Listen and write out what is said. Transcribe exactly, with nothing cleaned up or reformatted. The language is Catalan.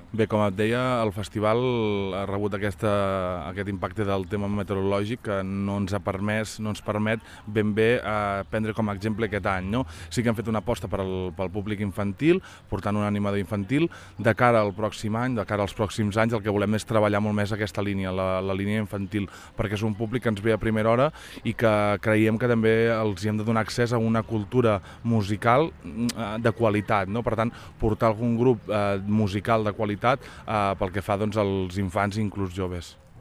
Bé, com et deia, el festival ha rebut aquesta, aquest impacte del tema meteorològic que no ens ha permès, no ens permet ben bé eh, prendre com a exemple aquest any. No? Sí que hem fet una aposta per al, pel públic infantil, portant un animador infantil. De cara al pròxim any, de cara als pròxims anys, el que volem és treballar molt més aquesta línia, la, la línia infantil, perquè és un públic que ens ve a primera hora i que creiem que també els hi hem de donar accés a una cultura musical eh, de qualitat. No? Per tant, portar algun grup eh, musical de qualitat eh, pel que fa doncs, als infants i inclús joves.